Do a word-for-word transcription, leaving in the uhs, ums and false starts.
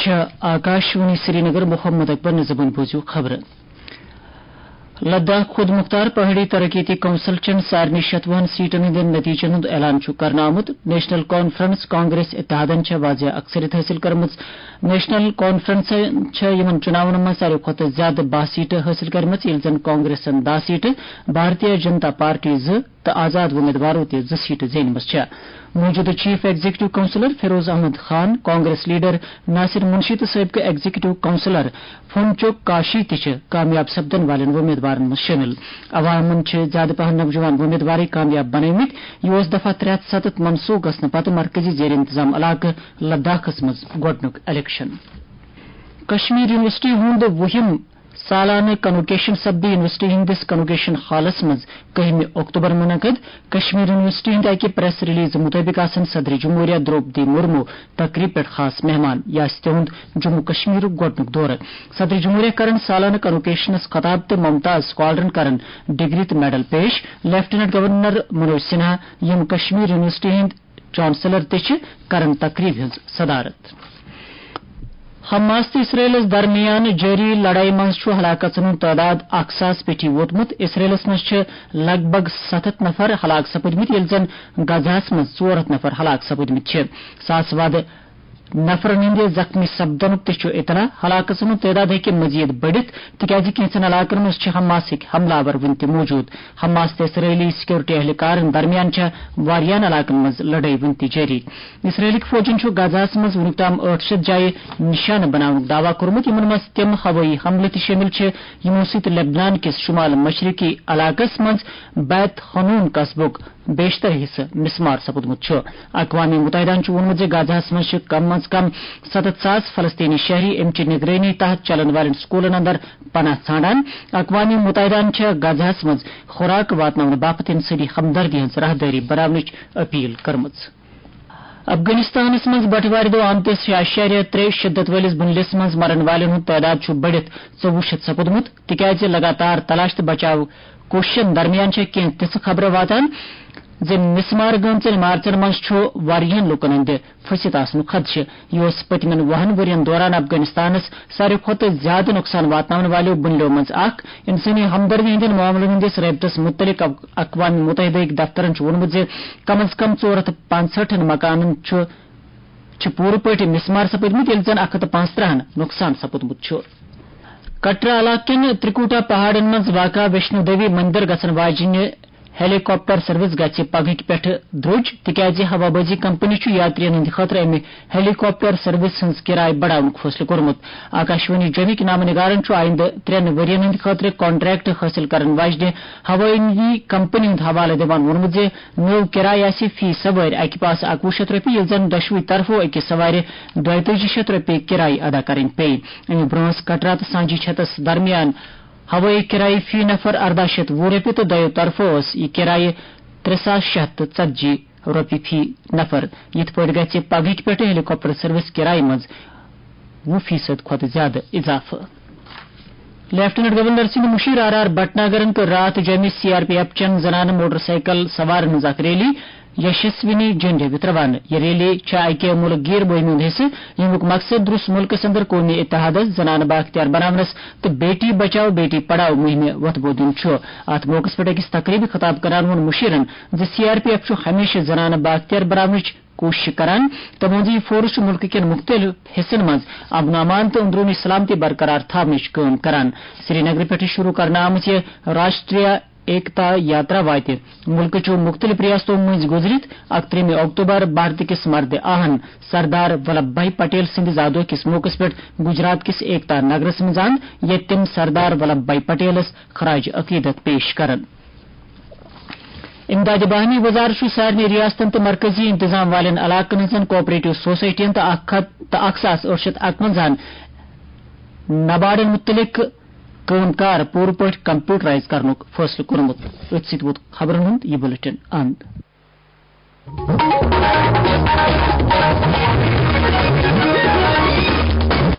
چھےٚ آکاشوانی سرینگر۔ محمد اکبر نظمن بوٗزِو خبرٕ۔ لداخ خود مختار پہاڑی ترقیتی کونسل چٮ۪ن سارنٕے شتوُہن سیٹن ہٕنٛدٮ۪ن نتیجن ہُنٛد اعلان چھُ کرنہٕ آمُت۔ نیشنل کانفرنس کانگریس اتحادن چھےٚ واضح اکثریت حٲصِل کٔرمٕژ۔ نیشنل کانفرنسن چھےٚ یِمن چُناون منٛز ساروی کھۄتہٕ زیادٕ باہ سیٹہٕ حٲصِل کٔرمٕژ، ییٚلہِ زن کانگریسن دَہ سیٹہٕ، بھارتیہ جنتا پارٹی زٕ، تہٕ آزاد وۄمیدوارو تہِ زٕ سیٹہٕ زینمٕژ چھےٚ۔ موجودٕ chief executive councillor Feroz Ahmad Khan, Congress leader Nasir Munshi تہٕ سٲبقہٕ ایگزیکٹو کونسلر فونچوک کاشی تہِ چھِ کامیاب سپدن والٮ۪ن وۄمیدوارن منٛز شٲمِل۔ عوامن چھِ زیادٕ پہن نوجوان وۄمیدوارٕے کامیاب بنٲومٕتۍ۔ یہِ اوس دفعہ ترٛےٚ ہتھ ستتھ منسوخ گژھنہٕ پتہٕ مرکزی زیر انتظام علاقہٕ لداخس منٛز گۄڈٕنیُک الیکشن۔ کشمیر یونیورسٹی ہُنٛد وُہِم سالانہٕ کنوکیشن سپدِ یونیورسٹی ہٕنٛدِس کنوکیشن ہالس منٛز کٔہمہِ اکتوبر منعقد۔ کشمیر یونیورسٹی ہٕنٛدِ اکہِ پریس ریلیز مُطٲبِق آسن صدر جمہوریہ درٛوپدی مُرموٗ تقریٖب پٮ۪ٹھ خاص مہمان۔ یہِ آسہِ تِہُنٛد جموں کشمیرُک گۄڈٕنیُک دورٕ۔ صدر جمہوریہ کرن سالانہٕ کنوکیشنس خطاب تہٕ ممتاز سکالرن کرن ڈگری تہٕ میڈل پیش۔ لیفٹیننٹ گورنر منوج سنہا، یِم کشمیر یونیورسٹی ہٕنٛدۍ چانسلر تہِ چھِ، کرن تقریب ہٕنٛز صدارت۔ حماس تہٕ اسرائیلس درمیان جٲری لڑایہِ منٛز چھُ ہلاکژن ہُنٛد تعداد اکھ ساس پیٚٹھی ووتمُت۔ اسرائیلس منٛز چھِ لگ بگ ستتھ نفر ہلاک سپٕدمٕتۍ، ییٚلہِ زن غزہس منٛز ژور ہتھ نفر ہلاک سپٕدمٕتۍ چھِ۔ ساس وادٕ نفرن ہٕنٛدِ زخمی سپدنُک تہِ چھُ اطلاع۔ ہلاکژن ہُنٛد تعداد ہیٚکہِ مزید بٔڑِتھ، تِکیازِ کینٛژن علاقن منٛز چھِ حماسٕکۍ حملہٕ آور وُنہِ تہِ موجود۔ حماس تہٕ اسرائیلی سیکورٹی اہلکارن درمیان چھےٚ واریاہن علاقن منٛز لڑٲے وُنہِ تہِ جٲری۔ اسرائیلٕکۍ فوجن چھُ غزہس منٛز وُنیُک تام ٲٹھ شیٚتھ جایہِ نشانہٕ بناونُک دعویٰ کوٚرمُت، یِمن منٛز تِم ہوٲیی حملہٕ تہِ شٲمِل چھِ، یِمو سۭتۍ لبنان کِس شمال مشرقی علاقس منٛز بیت حنون قصبُک بیشتر حصہٕ مسمار سپُدمُت چھُ۔ اقوام متحدہَن چھُ ووٚنمُت زِ غزہَس منٛز چھِ کم از کم ستتھ ساس فلسطینی شہری امہِ چہِ نگرٲنی تحت چلن والٮ۪ن سکوٗلن اندر پناہ ژھانڈان۔ اقوام متحدہَن چھےٚ غزہَس منٛز خوراک واتناونہٕ باپتھ انسٲنی ہمدردی ہٕنٛز راہدٲری بناونٕچ اپیل کٔرمٕژ۔ افغانستانَس منٛز بٹوارِ دۄہ آمتِس شےٚ اعشاریہ ترٛےٚ شدت وٲلِس بُنلِس منٛز مرن والٮ۪ن ہُنٛد تعداد چھُ بٔڑِتھ ژوٚوُہ شیٚتھ سپُدمُت، تِکیازِ لگاتار تلاش تہٕ بچاو کوٗششن درمیان چھےٚ کینٛہہ تِژھٕ خبرٕ واتان زِ مسمار گٔمژن عمارژن منٛز چھُ واریاہن لوٗکن ہٕنٛدِ پھٔسِتھ آسنُک خدشہٕ۔ یہِ اوس پٔتمٮ۪ن وُہن ؤرین دوران افغانستانس ساروی کھۄتہٕ زیادٕ نۄقصان واتناون والیو بُنلیو منٛز اکھ۔ انسٲنی ہمدردی ہٕنٛدٮ۪ن معاملن ہٕنٛدِس رٲبطس مُتعلق اق-، اقوام متحدہ ہٕکۍ دفترن چھُ ووٚنمُت زِ کم از کم ژور ہتھ پانٛژہٲٹھن مکانن چھُ چھِ پوٗرٕ پٲٹھۍ مسمار سپٕدمٕتۍ، ییٚلہِ زن اکھ ہتھ پانٛژترٕہن نۄقصان سپُدمُت چھُ۔ کٹرا علاقہٕ کٮ۪ن ترکوٹا پہاڑن منٛز واقع ویشنو دیوی مندر گژھن واجنہِ ہیلی کاپٹر سروس گژھِ پگہٕکۍ پٮ۪ٹھٕ درٛوج، تِکیازِ ہوابازی کمپنی چھُ یاترین ہٕنٛدِ خٲطرٕ امہِ ہیلی کاپٹر سروس ہٕنٛز کرایہِ بڑاونُک فٲصلہٕ کوٚرمُت۔ آکاشوانی جومِکۍ نامہ نگارن چھُ آیندٕ ترٛٮ۪ن ؤرین ہٕنٛدِ خٲطرٕ کانٹریکٹ حٲصِل کرن واجنہِ ہوٲیی کمپنی ہُنٛد حوالہٕ دِوان ووٚنمُت زِ نٔو کرایہِ آسہِ فی سوٲرۍ اکہِ پاسہٕ اکوُہ شیٚتھ رۄپیہِ، ییٚلہِ زن دۄشوٕے طرفو أکِس سوارِ دۄیتٲجی شیٚتھ رۄپیہِ کرایہِ ادا کرٕنۍ پیٚیہِ۔ اَمہِ برٛونٛہہ ٲس کٹرا تہٕ سانجی چھتس درمیان ہوٲیی کرایہِ فی نفر ارداہ شیٚتھ وُہ رۄپیہِ تہٕ دۄیو طرفو ٲس یہِ کرایہِ ترٛےٚ ساس شیٚے ہتھ تہٕ ژتجی رۄپیہِ فی نفر۔ یِتھ پٲٹھۍ گژھِ پگہٕکۍ پٮ۪ٹھٕ ہیلی کاپٹر سروس کرایہِ منٛز وُہ فیصد کھۄتہٕ زیادٕ اضافہٕ۔ لیفٹیننٹ گورنر سٕنٛدِ مُشیر آر آر بھٹناگرن کٔر راتھ جوٚمہِ سی آر پی ایف چٮ۪ن زنانہٕ موٹر سائیکل سوارن ہٕنٛز اکھ ریلی یشسوینی جنڈ ہیٚوِتھ روانہٕ۔ یہِ ریلی چھےٚ اکہِ مُلک گیر مُہِمہِ ہُنٛد حصہٕ، ییٚمیُک مقصد درٛوس مُلکس اندر قومی اتحادس، زنانہٕ بااختیار بناونس تہٕ بیٹی بچاؤ بیٹی پڑھاؤ مُہِمہِ وۄتھٕ بوٚو دیُن چھُ۔ اتھ موقعس پٮ۪ٹھ أکِس تقریبہِ خطاب کران ووٚن مُشیرن زِ سی آر پی ایف چھُ ہمیشہٕ زنانہٕ بااختیار بناونٕچ کوٗشش کران۔ تٔمۍ ووٚن زِ یہِ فورس چھُ مُلکہٕ کٮ۪ن مُختٔلِف حصن منٛز امن و امان تہٕ اندروٗنی سلامتی برقرار تھاونٕچ کٲم کران۔ سری نگرٕ پٮ۪ٹھٕ شروع کرنہٕ آمٕژ یہِ راشٹریہ ایکتا یاترا واتہِ مُلکٕچو مُختٔلِف ریاستو مٔنٛزۍ گُزرِتھ اکترٛہمہِ اکتوبر بھارت کِس مردِ آہن سردار ولبھ بھائی پٹیل سٕنٛدِ زادوہ کِس موقعس پٮ۪ٹھ گجرات کِس ایکتا نگرس منٛز اند، ییٚتہِ تِم سردار ولبھ بھائی پٹیلس خراج عقیدت پیش کرن۔ امداد باہمی وزارت چھُ سارنٕے ریاستن تہٕ مرکزی انتظام والٮ۪ن علاقن ہٕنٛزن کوآپریٹو سوسائٹین تہٕ اکھ ہتھ تہٕ اکھ ساس ٲٹھ شیٚتھ اکونزاہن نباڈن مُتعلق کٲم کار پوٗرٕ پٲٹھۍ کمپیوٹرائز کرنُک فٲصلہٕ کوٚرمُت۔ أتھۍ سۭتۍ ووت خبرن ہُنٛد یہِ بلیٹن اند۔